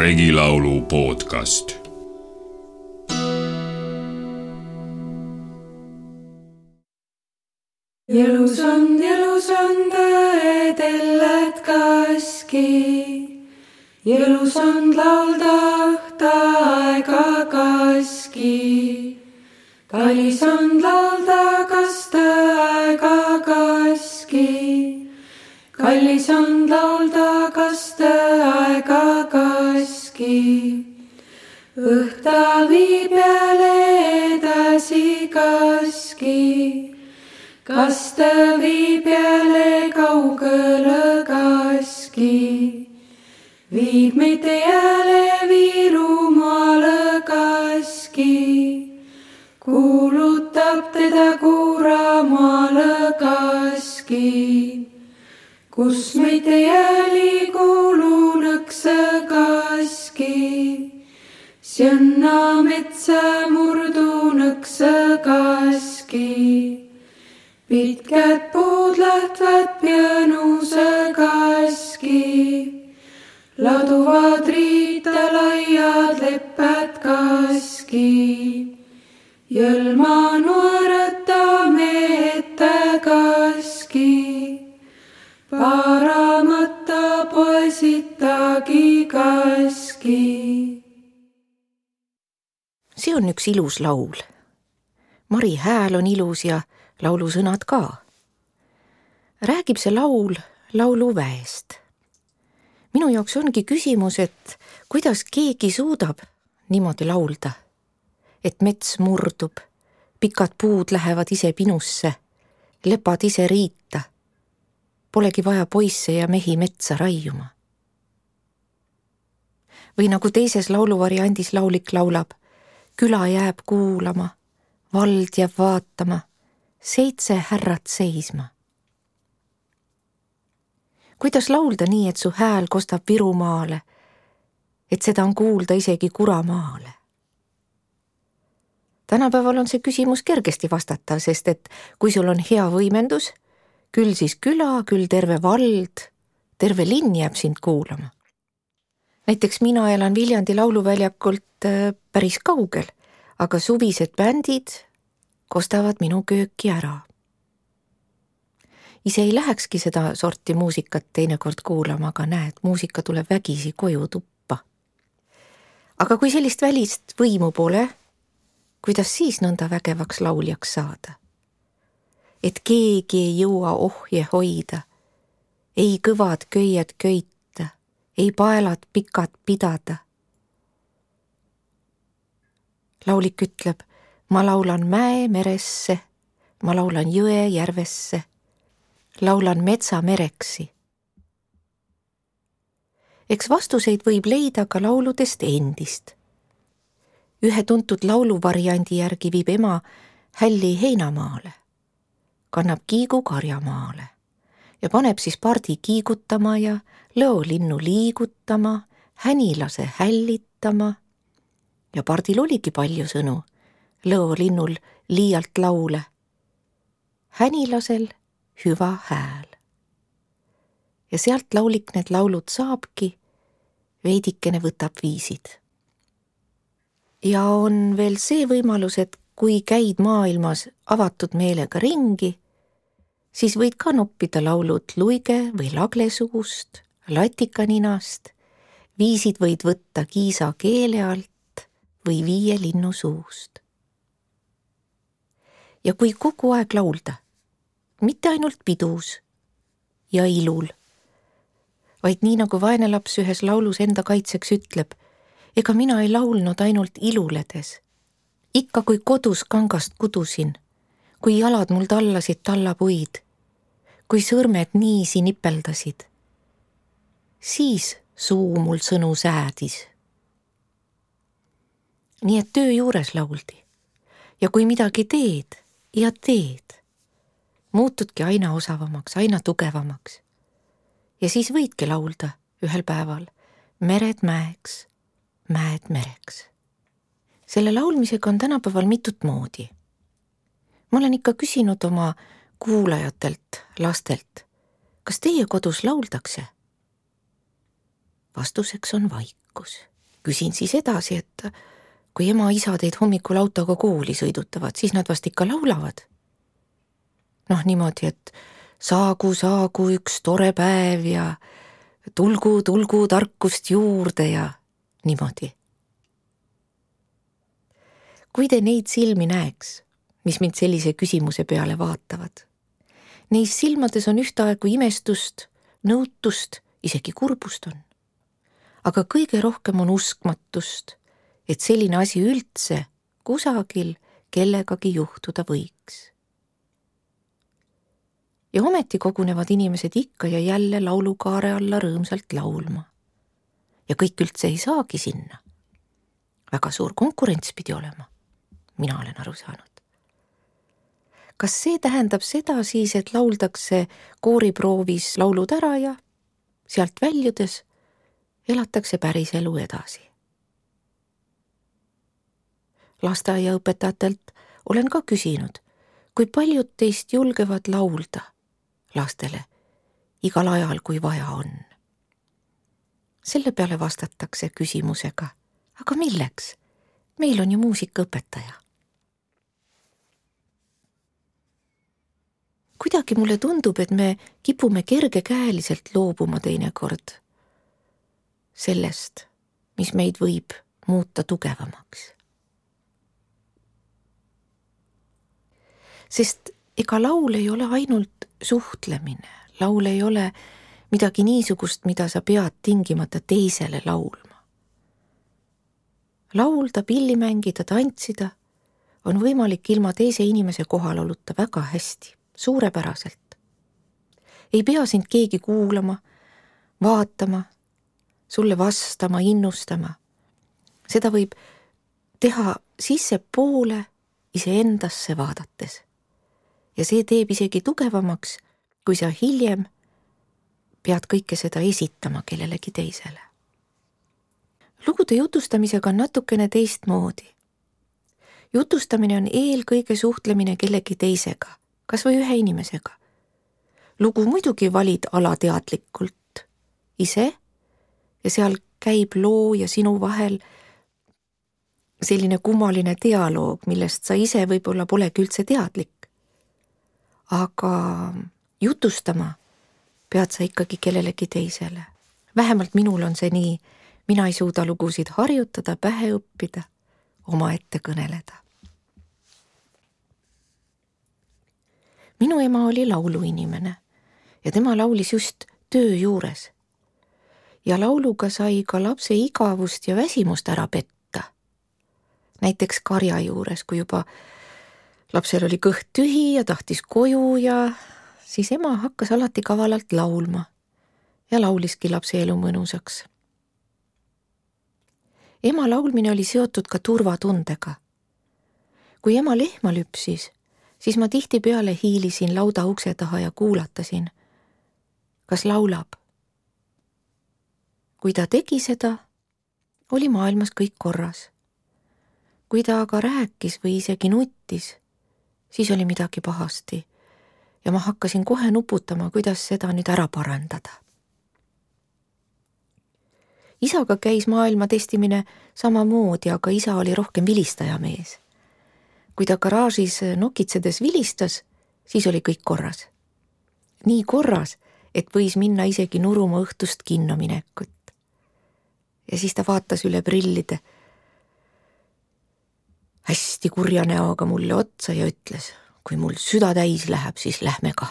Regilaulu podcast. Jelus on tõedellet kaski, jelus on laulda aega kaski. Kallis on laulda kasta aega kaski, kallis on laulda kasta aega kaski. Õhta viib jälle edasi kaski, kasta viib jälle kaugele kaski. Viib meid jälle Virumaale kaski, kuulutab teda Kuramaale kaski. Kus meid jälle kuulunõkse kaski, Sienna metsa murdunõkse kaski. Pitkät puud lähtvad pianuse kaski, laduvad riita laiad lepped kaski. Jõlma nuoreta meete kaski, paramata poisitagi kaski. See on üks ilus laul. Mari hääl on ilus ja laulusõnad ka. Räägib see laul lauluväest. Minu jaoks ongi küsimus, et kuidas keegi suudab niimoodi laulda, et mets murdub, pikad puud lähevad ise pinusse, lepad ise riita. Polegi vaja poisse ja mehi metsa raiuma. Või nagu teises lauluvariandis laulik laulab, küla jääb kuulama, vald jääb vaatama, 7 härrat seisma. Kuidas laulda nii, et su hääl kostab Virumaale, et seda on kuulda isegi Kuramaale? Tänapäeval on see küsimus kergesti vastatav, sest et kui sul on hea võimendus, küll siis küla, küll terve vald, terve linn jääb sind kuulama. Näiteks mina elan Viljandi lauluväljakult päris kaugel, aga suvised bändid kostavad minu kööki ära. Ise ei lähekski seda sorti muusikat teinekord kuulama, aga näed, muusika tuleb vägisi koju tuppa. Aga kui sellist välist võimu pole, kuidas siis nõnda vägevaks lauljaks saada? Et keegi ei jõua ohje hoida, ei kõvad köied köita, ei paelad pikad pidada. Laulik ütleb, ma laulan mäe meresse, ma laulan jõe järvesse, laulan metsa mereksi. Eks vastuseid võib leida ka lauludest endist. Ühe tuntud lauluvariandi järgi viib ema hälli heinamaale, kannab kiigu karjamaale ja paneb siis pardi kiigutama ja lõolinnu liigutama, hänilase hällitama. Ja pardil oligi palju sõnu, lõolinnul liialt laule, hänilasel hüva hääl. Ja sealt laulik need laulud saabki, veidikene võtab viisid. Ja on veel see võimalus, et kui käid maailmas avatud meelega ringi, siis võid ka noppida laulud luige või lagle suust, latikaninast, viisid võid võtta kiisa keele alt või 5 linnu suust. Ja kui kogu aeg laulda, mitte ainult pidus ja ilul, vaid nii nagu vaene laps ühes laulus enda kaitseks ütleb, ega mina ei laulnud ainult iluledes. Ikka kui kodus kangast kudusin, kui jalad mul tallasid tallapuid, kui sõrmed niisi nipeldasid, siis suu mul sõnu säädis. Nii et töö juures lauldi. Ja kui midagi teed ja teed, muutudki aina osavamaks, aina tugevamaks. Ja siis võidki laulda ühel päeval mered mäeks, mäed mereks. Selle laulmisega on tänapäeval mitut moodi. Ma olen ikka küsinud oma kuulajatelt, lastelt, kas teie kodus lauldakse? Vastuseks on vaikus. Küsin siis edasi, et kui ema-isa teid hommikul autoga kooli sõidutavad, siis nad vast ikka laulavad. Niimoodi, et saagu üks tore päev ja tulgu tarkust juurde ja niimoodi. Kui te neid silmi näeks, mis mind sellise küsimuse peale vaatavad, neis silmades on ühtaegu imestust, nõutust, isegi kurbust on. Aga kõige rohkem on uskmatust, et selline asi üldse kusagil kellegagi juhtuda võiks. Ja ometi kogunevad inimesed ikka ja jälle laulukaare alla rõõmsalt laulma. Ja kõik üldse ei saagi sinna. Väga suur konkurents pidi olema. Mina olen aru saanud. Kas see tähendab seda siis, et lauldakse kooriproovis laulud ära ja sealt väljudes elatakse päris elu edasi? Lasteaiaõpetajatelt olen ka küsinud, kui paljud teist julgevad laulda lastele igal ajal, kui vaja on. Selle peale vastatakse küsimusega, aga milleks? Meil on ju muusikaõpetaja. Kuidagi mulle tundub, et me kipume kergekäeliselt loobuma teinekord sellest, mis meid võib muuta tugevamaks. Sest ega laul ei ole ainult suhtlemine, laul ei ole midagi niisugust, mida sa pead tingimata teisele laulma. Laulda, pilli mängida, tantsida on võimalik ilma teise inimese kohaloluta väga hästi, suurepäraselt. Ei pea sind keegi kuulama, vaatama, sulle vastama, innustama. Seda võib teha sissepoole iseendasse vaadates. Ja see teeb isegi tugevamaks, kui sa hiljem pead kõike seda esitama kellelegi teisele. Lugude jutustamisega on natukene teistmoodi. Jutustamine on eelkõige suhtlemine kellegi teisega, kas või ühe inimesega. Lugu muidugi valid alateadlikult ise ja seal käib loo ja sinu vahel selline kummaline dialoog, millest sa ise võib-olla polegi üldse teadlik. Aga jutustama pead sa ikkagi kellelegi teisele. Vähemalt minul on see nii, mina ei suuda lugusid harjutada, pähe õppida, omaette kõneleda. Minu ema oli lauluinimene ja tema laulis just töö juures. Ja lauluga sai ka lapse igavust ja väsimust ära petta. Näiteks karja juures, kui juba lapsel oli kõht tühi ja tahtis koju ja siis ema hakkas alati kavalalt laulma ja lauliski lapse elu mõnusaks. Ema laulmine oli seotud ka turvatundega. Kui ema lehma lüpsis, siis ma tihtipeale hiilisin lauda ukse taha ja kuulatasin, kas laulab. Kui ta tegi seda, oli maailmas kõik korras. Kui ta aga rääkis või isegi nuttis, siis oli midagi pahasti ja ma hakkasin kohe nuputama, kuidas seda nüüd ära parandada. Isaga käis maailma testimine samamoodi, aga isa oli rohkem vilistaja mees. Kui ta garaažis nokitsedes vilistas, siis oli kõik korras. Nii korras, et võis minna isegi nuruma õhtust kinno minekut. Ja siis ta vaatas üle prillide hästi kurja näoga mulle otsa ja ütles, kui mul süda täis läheb, siis lähme ka.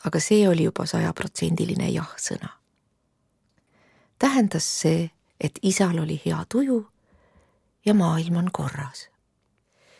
Aga see oli juba 100% jah-sõna. Tähendas see, et isal oli hea tuju ja maailm on korras.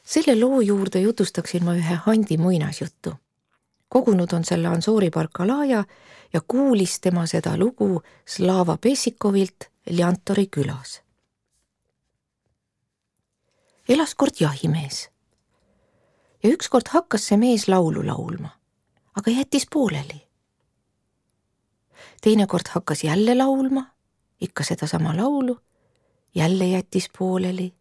Selle loo juurde jutustaksin ma ühe Handi muinasjuttu. Kogunud on selle Ansoori Barkalaja ja kuulis tema seda lugu Slava Pessikovilt Ljantori külas. Elas kord jahimees ja ükskord hakkas see mees laulu laulma, aga jättis pooleli. Teinekord hakkas jälle laulma, ikka sedasama laulu, jälle jättis pooleli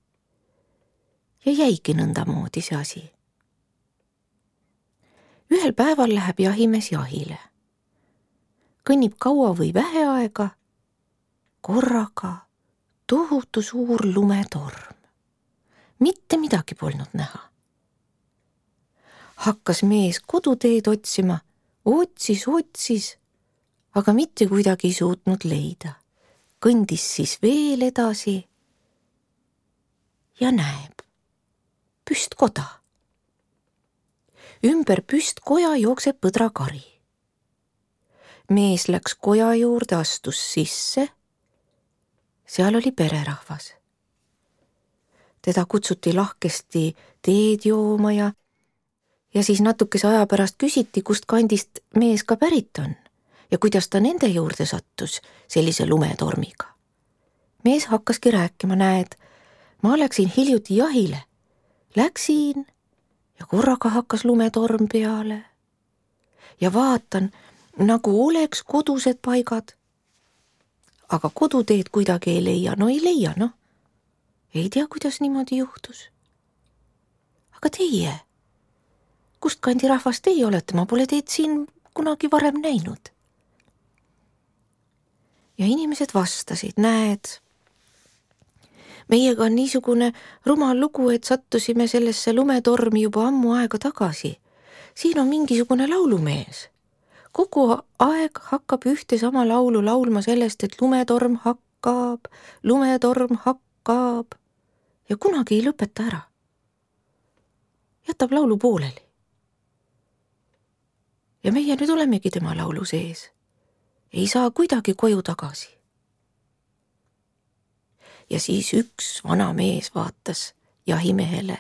ja jäigi nõndamoodi see asi. Ühel päeval läheb jahimees jahile. Kõnnib kaua või vähe aega, korraga tohutu suur lumetorm. Mitte midagi polnud näha. Hakkas mees koduteed otsima, otsis, aga mitte kuidagi ei suutnud leida. Kõndis siis veel edasi ja näeb püstkoda. Ümber püstkoja jookseb põdrakari. Mees läks koja juurde, astus sisse. Seal oli pererahvas. Teda kutsuti lahkesti teed jooma ja siis natukese aja pärast küsiti, kust kandist mees ka pärit on ja kuidas ta nende juurde sattus sellise lumetormiga. Mees hakkaski rääkima, näed, ma läksin hiljuti jahile. Läksin ja korraga hakkas lumetorm peale. Ja vaatan, nagu oleks kodused paigad. Aga koduteed kuidagi ei leia, Ei tea, kuidas niimoodi juhtus. Aga teie, kust kandi rahvas teie olete? Ma pole teid siin kunagi varem näinud. Ja inimesed vastasid, näed, meiega on niisugune rumal lugu, et sattusime sellesse lumetormi juba ammu aega tagasi. Siin on mingisugune laulumees. Kogu aeg hakkab ühte sama laulu laulma sellest, et lumetorm hakkab ja kunagi ei lõpeta ära. Jätab laulu pooleli. Ja meie nüüd olemegi tema laulu sees. Ei saa kuidagi koju tagasi. Ja siis üks vana mees vaatas jahimehele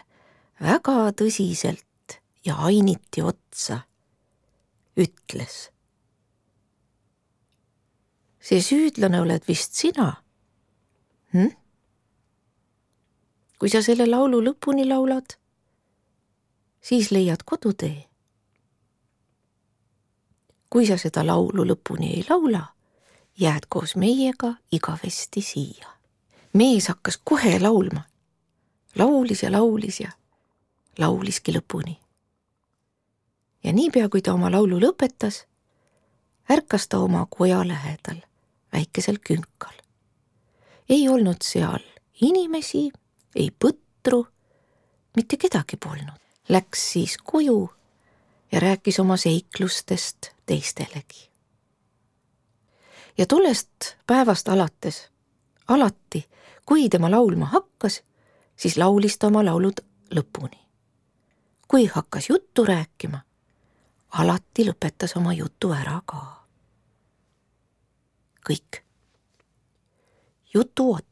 väga tõsiselt ja ainiti otsa. Ütles. See süüdlane oled vist sina? Kui sa selle laulu lõpuni laulad, siis leiad kodutee. Kui sa seda laulu lõpuni ei laula, jääd koos meiega igavesti siia. Mees hakkas kohe laulma. Laulis ja lauliski lõpuni. Ja niipea, kui ta oma laulu lõpetas, ärkas ta oma koja lähedal, väikesel künkal. Ei olnud seal inimesi, ei põtru, mitte kedagi polnud. Läks siis koju ja rääkis oma seiklustest teistelegi. Ja tollest päevast alates, alati, kui tema laulma hakkas, siis laulis ta oma laulud lõpuni. Kui hakkas juttu rääkima, alati lõpetas oma jutu ära ka. Kõik. Jutu ots.